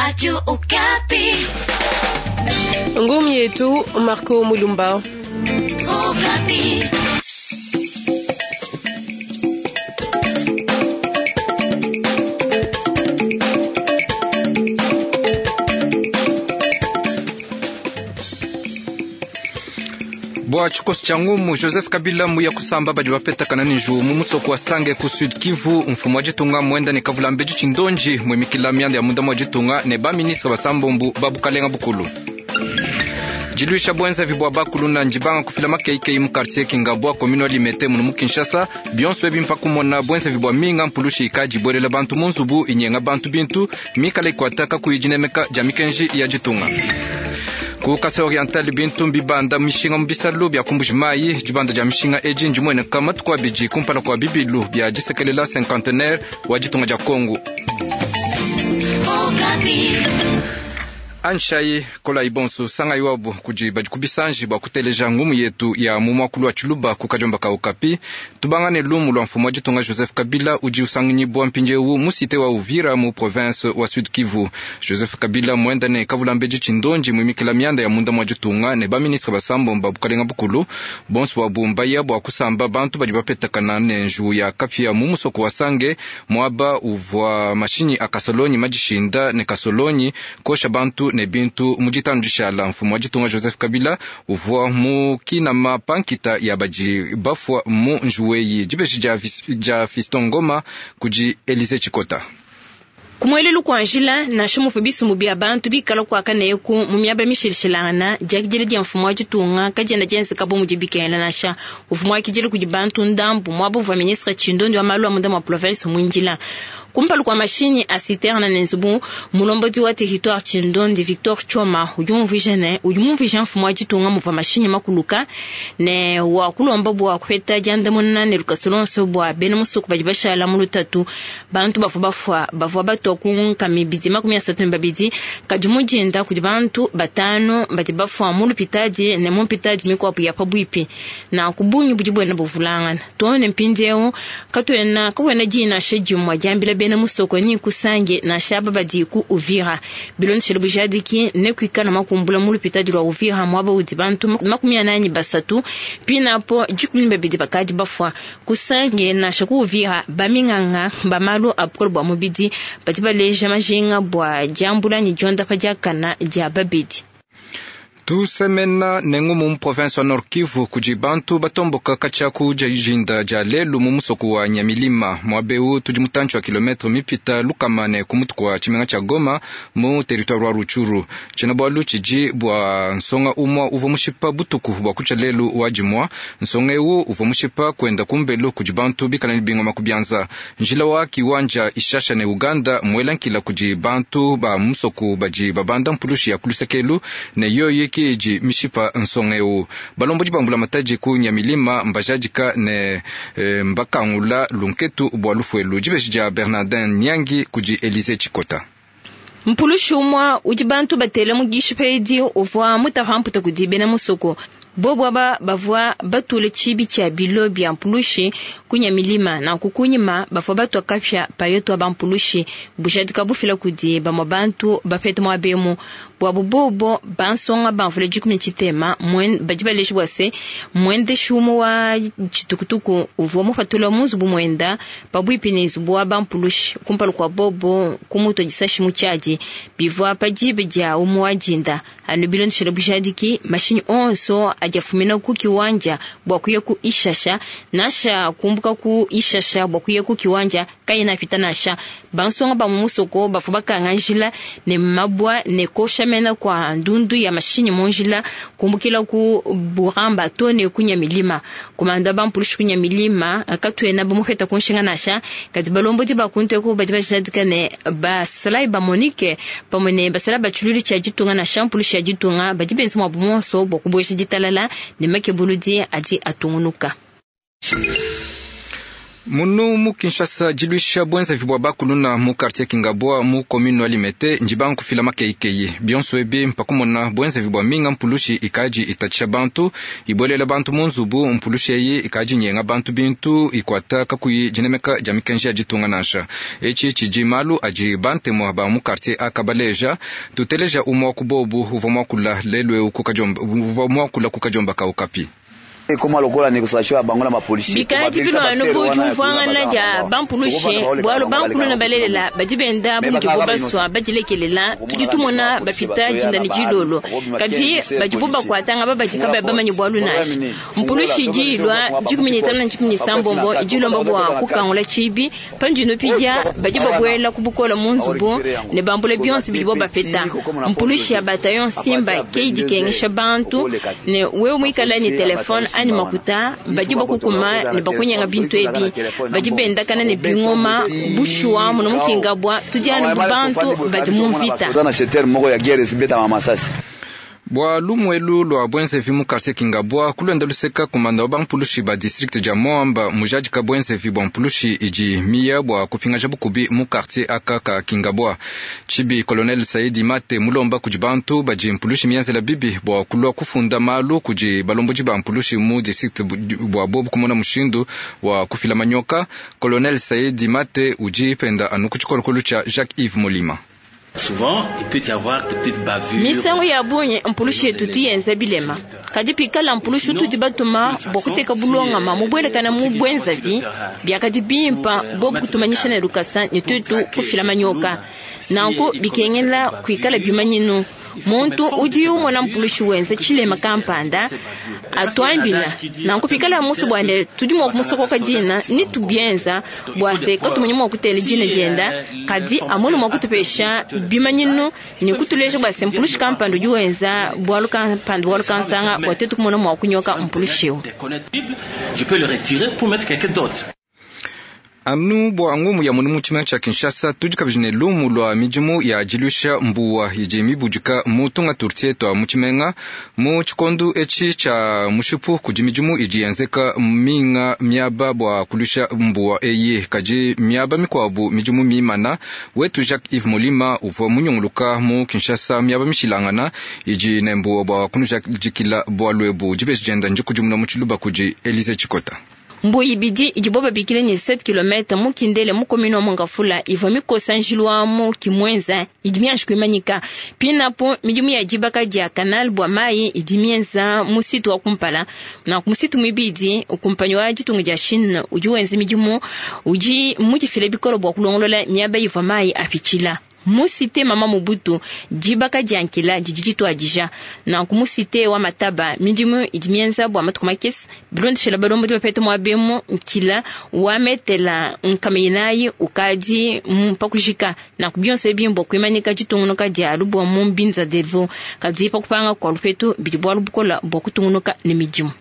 Radio Okapi. Ngumi yetu Marco Mulumba. Okapi. Bua tshikoso tshia ngumu Joseph Kabila muya kusamba badi bapetakana ne njuwu mu musoko wa Sange ku Sud Kivu. Mfumu wa ditunga muenda ne kavula mbedi tshindonji muimikila mianda ya munda mua ditunga ne ba ministre basambombu ba bukalenga bukulu. Diluisha buenzavi bua bakuluna ndibanga kufila makeikeyi mu quartier Kingabwa commune wa Limete munu mu Kinshasa. Bionso ebi mpa kumona buenzavi bua minga mpulushi ikadi ibuelela bantu mu nzubu inyenga bantu bintu mikala ikuata kakuyi dinemeka dia mikenji ya ditunga. Ku Kasai Oriental bintu mbibanda mishinga mu bisalu bia ku Mbuji-Mayi. Dibanda dia mishinga edi ndimueneka matuku abidi kumpala kua bibilu bia disekelela cinquantenaire wa ditunga dia Kongo. Anshayi kolayi bonso sangayi wabu kudi badi ku bisanji bua kuteleja ngumu yetu ya mu muakulu wa Tshiluba ku kadiomba ka Okapi. Tubangane lumu lua mfumu wa ditunga Joseph Kabila udi usanganyibua mpindiewu mu cite wa Uvira mu province wa Sud Kivu. Joseph Kabila muenda ne kavulambedi tshindonji muimikila mianda ya munda mua ditunga ne ba ministre basambomba bukalenga bukulu bonso bua mbaya bua kusamba bantu badi bapetakana ne njuwu ya kapia mu musoko wa Sange muaba uvua mashinyi a kasolonyi madishinda ne kasolonyi kosha bantu ne bintu mu ditanu dishala. Mfumu wa ditunga Joseph Kabila uvua mu kinama pa nkita ya badi bafua mu njuwu eyi. Dibeji dia Fiston Ngoma kudi Elise Tshikota. Kumuelelu kua njila nansha muvua bisumbu bia bantu bikala kuaka neku mu miaba mishilashilangana, diakidila dia mfumu wa ditunga kadiena dienzeka bu mudi bikengela nansha. Uvua muakidile kudi bantu ndambu muaba uvua ministre Tshindondi wa malu a munda mua province muindila. Kumpala kua mashinyi a citerne ne nzubu, mulombodi wa territoire Tshindondi Victor Choma udi umvuija ne udi mumvuija mfumu wa ditunga muvua mashinyi makuluka ne wa kulomba bua kupeta diandamuna ne lukasa luonso bua bena musoko badi bashala mu lutatu. Bantu bavua bafua bavua batua ku nkama ibidi makumi asatu ne babidi, kadi mu dinda kudi bantu batanu badi bafua mu lupitadi ne mu mpitadi mikuabu ya pabuipi. Nanku bungi budi buenda buvulangana too ne mpindieu katuena kakuena diyi nansha dimue diambila bena musoko ni kusange nansha aba badi ku Uvira. Bilondeshele bujadiki ne kuikala makumbula mu lupitadi lua Uvira muaba udi bantu 43 pinapo 12 bakadi bafua. Kusange nansha ku Uvira baminganga ba malu a bukole bua mubidi badi baleja majinga bua diambula ne diondapa diakana dia babedi. Tusemena nengu mu province wa Nord Kivu kudi bantu batomboka katshia ku dijinda dia lelu mu musoko wa Nyamilima. Muaba eu tudi mutantshi wa kilometre mipita lukama ne ku mutu kua tshimenga tshia Goma mu territoire wa Rutshuru. Tshiena-bualu tshidi bua nsonga umua uvua mushipa butuku bua kutshia lelu wa dimua. Nsonga eu uvua mushipa kuenda kumbelu kudi bantu bikala ne bingoma ku bianza. Njila wa Kiwanja Ishasha ne Uganda muela nkila kudi bantu ba musoko badi babanda mpulushi ya kulusekelu ne yoyi kiji mishipa nsonga eu. Balombodi ba mbulamatadi ku Nyamilima mbajadika ne mbakangula lunketu bua lufuelu. Dibeji dia Bernardin Nyangi kudi Elise Tshikota. Mpulushi umua udi bantu batele mu dishipa edi uvua mutapa mputa kudi bena musoko. Bobu aba bavua batule tshibi tshia bilo bia mpulushi ku Nyamilima, nanku kunyima bavua batua kapia payoto aba mpulushi bujadika bufila kudi bamue bantu bapete muaba emu. Buabu bobo bansonga bamvula dikumi tshitema badi baleja bua se muendeshi umue wa tshitukutuku uvua mupatula mu nzubu muenda pabuipi ne nzubu wa bampulushi kumpala kua bobo kumutua disashi mu tshiadi bivua pa diba dia umue wa dinda. Anu bilondeshele bujadiki mashinyi onso adi afumina ku kiwanja bua kuya ku Ishasha nansha kumbuka ku Ishasha bua kuya ku kiwanja kayena apita nansha. Bansonga ba mu musoko bavua bakanga njila ne mabua ne kosha mena kwa ndundu ya mashinyi mu njila kumbukila ku Buramba to ne ku Nyamilima. Komanda ba mpulushi ku Nyamilima katuena bamuheta ku nshinga nansha, kadi balombodi ba kunteku badi bajadika ne basalayi ba Monique pamue ne basalayi ba tshilulu tshia ditunga nansha mpulushi ya ditunga badi benza muabu muonso bua kubuesha ditalala ne makebuludi adi atungunuka. Munu mu Kinshasa diluisha bwenzevi bwa bakuluna mu quartier Kingabwa mu commune wa Limete njibanga kufila makeikeyi bionso ebi mpakumona bwenzevi bwa minga mpulushi ikaji itatshisha bantu ibwelela bantu mu nzubu mpulushi eyi ikaji nyenga bantu bintu ikwata kakuyi dinemeka dia mikenji ya ditunga nansha etshi tshidi malu adi bantemwa ba mu quartier akabaleja tuteleja umwa wa kubobu uvua muakula lelu eu kukajomba uvua muakula kukajomba kaukapi. Bikadi bilwanu bu diumvuangana dia bampulushi bwalu bankulu balelela badi benda bu mudibo baswa badilekelela tudi tumona bapita dinda ne dilolo kadi badibo bakwatanga babadi kabayi bamanye bwalu nansha mpulushi idi ilwa 15 na 16 idi ilomba bwa kukangula tshibi pandino pidia badi babwela ku bukola mu nzubu ne bambula bionso bidibo bapeta mpulushi ya bataillon Simba ke idi kengesha bantu ne wewe muikala ne telefone ani makuta badi bakukuma ne bakunyenga bintu ebi badi bendakana ne bingoma bushuwa muno mukingabwa tudiana bu bantu badi mu mvita. Bwa lumuelu lwa bwenzevi mu quartier Kingabwa kulwenda luseka kumanda wa bampulushi ba district dia Moamba mujadika bwenzevi bwa mpulushi idi miya bwa kupingaja bukubi mu quartier aka ka Kingabwa. Tshibi colonel Saidi Mate mulomba kudi bantu badi mpulushi mienzela bibi bwa kulwa kufunda malu kudi balombodi ba mpulushi mu district bwa bobu kumona mushindu wa kufila manyoka. Colonel Saidi Mate udi penda anu ku tshikolokolo tshia Jacques-Yves Molima. Souvent, il peut y avoir des petites bavures. Misangu ya bungi mpulushi yetu tuyenza bilema kadi pikala mpulushi tudi batuma bwa kuteka bulongama mubwelekana mu bwenzavi byakadi bimpa bobu kutumanyisha ne lukasa ne tuetu kufila manyoka nanku bikengela kuikala bimanyinu muntu udi umona mpulushi wenza tshilema kampanda atwambila nanku pikala musu bwande tudi mua kumusokoka dina ni tubienza bwa se katumanyi mua kutela dina dienda kadi amone mua kutupesha bimanyinu ni kutuleja bwa se mpulushi kampanda udi wenza bwalu kampanda bwalu kansanga bwa tuetu kumona mua kunyoka mpulushi eu. Je peux le retirer pour mettre quelqu'un d'autre. Anu bwa ngumu ya munu mu tshimenga tshia Kinshasa tudi kabidi ne lumu lwa midimu ya dilusha mbuwa idi mibudika mu tunga turtie twa mu tshimenga mu tshikondu etshi tshia mushipu kudi midimu idi yenzeka minga miaba bwa kulusha mbuwa eyi kadi miaba mikuabu midimu mimana wetu Jacques Yves Molima uvua munyunguluka mu Kinshasa miaba mishilangana idi ne mbuwa bwa kunujadikila bwalu ebu dibeji dienda ndikudimuna mu tshiluba kudi Elise Tshikota. Mbuyi bidi idibo babikile ni 7 km mukindele mu commune wa Mongafula ivua mikosa njilu mu kimwenza idi mianji kuimanyika pinapo midimu ya dibaka dia canal bwa mai idi mienza musitu wa kumpala na musitu mwibidi ukumpanyi wa ditunga dia Chine udi wenza midimu udi mudifile bikolo bwa kulongolola miaba ivua mai apitshila musite mama Mobutu dibaka diankila didi ditwadija nanku musite wa mataba midimu idi mienza bua matuku makese bilondeshela balombodi bapete muabemu nkila wametela nkameinayi ukadi mpakujika nanku bionso ebi mbua kuimanyika ditungunuka dia lubua mu mbinza delvo kadi pakupanga kua lupetu bidi bualu bukola bua kutungunuka ne midimu.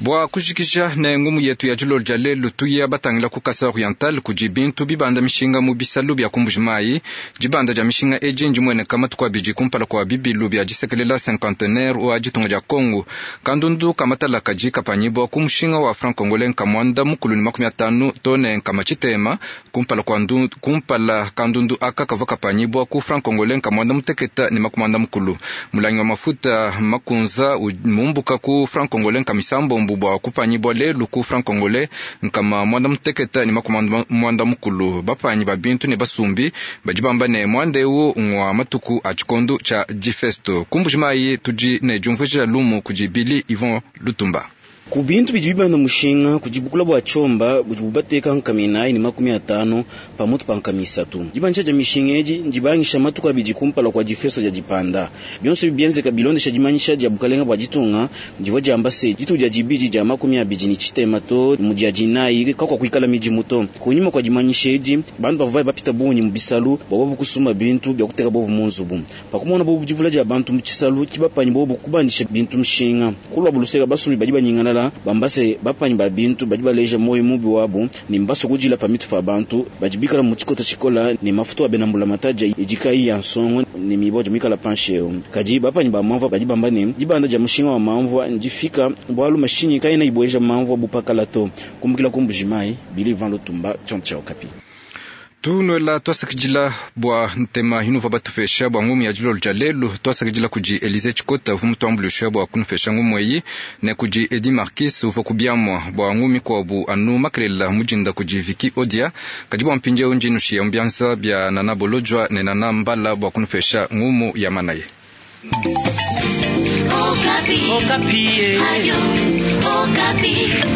Bwa kujikija ne ngumu yetu ya dilolo dia lelu tuya batangila ku Kasai Oriental kudi bintu bibanda mishinga mu bisalu bia kumbuji mayi dibanda dia mishinga edi ndimueneka matuku abidi kumpala kua bibilu bia disekelela cinquantenaire wa ditunga dia Congo kandundu kamatala kadi kapanyibwa ku mushinga wa franc congolais nkamwanda mukulu ne 50 to ne nkama tshitema kumpala kua kumpala kandundu aka kavua kapanyibwa ku franc congolais nkamwanda muteketa ne makumanda mukulu mulangi wa mafuta makunza mumbuka ku franc congolais nkamisambombo bwa kupanyibwa lelu ku franc congolais nkama mwanda muteketa ne makumanda mwanda mukulu bapanyi ba bintu ne basumbi badi bamba ne mwanda eu ngwa matuku a tshikondo tshia difesto kumbuji mayi tudi ne diumvuija lumu kudi Billy Yvon Lutumba. Ku bintu bidi bibanda mushinga kudi bukula bua tshomba budi bubateka nkami 4 ne 50 pamutu pa nkami 3. Dibandisha dia mishinga edi ndibangisha matuku abidi kumpala kua difesto dia dipanda. Bionso bienzeka bilondesha dimanyisha dia bukalenga bua ditunga divua diamba se dituku dia dibidi dia 23 to mu dia dinayi kakua kuikala midimu to. Kunyima kua dimanyisha edi bantu bavua bapita bungi mu bisalu bua bobu kusumba bintu bia kuteka bobu mu nzubu. Pakumona bobu divula dia bantu mu tshisalu kibapanyi bobu kubandisha bintu mushinga. Kulua buluseka basumbi badi banyingana banyingalala bamba se bapanyi ba bintu badi baleja moyo mubi wabu ne mbasua kudila pa mitu pa bantu badi bikala mu tshikota tshikola ne mafutu a bena mbulamatadi idi kayi ya nsongo ne mibo dia mikala panshi eu. Kadi bapanyi ba mamvua badi bamba ne dibanda dia mushinga wa mamvua ndifika bualu mashinyi kayena ibueja mamvua bupakala to. Kumbukila ku Mbujimayi, Billy Van Lutumba, Tchon Okapi. Tunuela twasakidila bua ntema inuva batupesha bua ngumu ya dilolo dia lelu. Twasakidila kudi Elise Tshikota uvua mutuambuluisha bua kunupesha ngumu eyi, ne kudi Edi Marquis uvua ku biamua bua ngumu mikuabu anu makelela mudinda kudi Vicky Odia. Kadi bua mpindieu ndi nushiya mu bianza bia Nana Bolodjwa ne Nana Mbala bua kunupesha ngumu ya manaye. Okapi. Okapi. Radio Okapi.